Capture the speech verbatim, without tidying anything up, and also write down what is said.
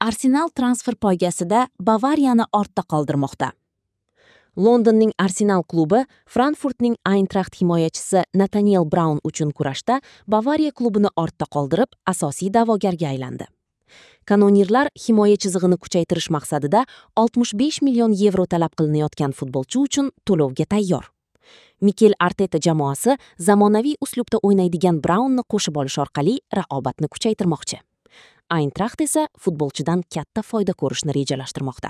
Arsenal transfer poygasida Bavariyani ortda qoldirmoqda. Londonning Arsenal klubi Frankfurtning Eintracht himoyachisi Nataniel Braun uchun kurashda Bavariya klubini ortda qoldirib, asosiy da'vogarga aylandi. Kanonirlar himoya chizig'ini kuchaytirish maqsadida oltmish besh million yevro talab qilinayotgan futbolchi uchun to'lovga tayyor. Mikel Arteta jamoasi zamonaviy uslubda o'ynaydigan Braunni qo'shib olish orqali raqobatni kuchaytirmoqchi. Eintracht esa futbolchidan katta foyda ko'rishni rejalashtirmoqda.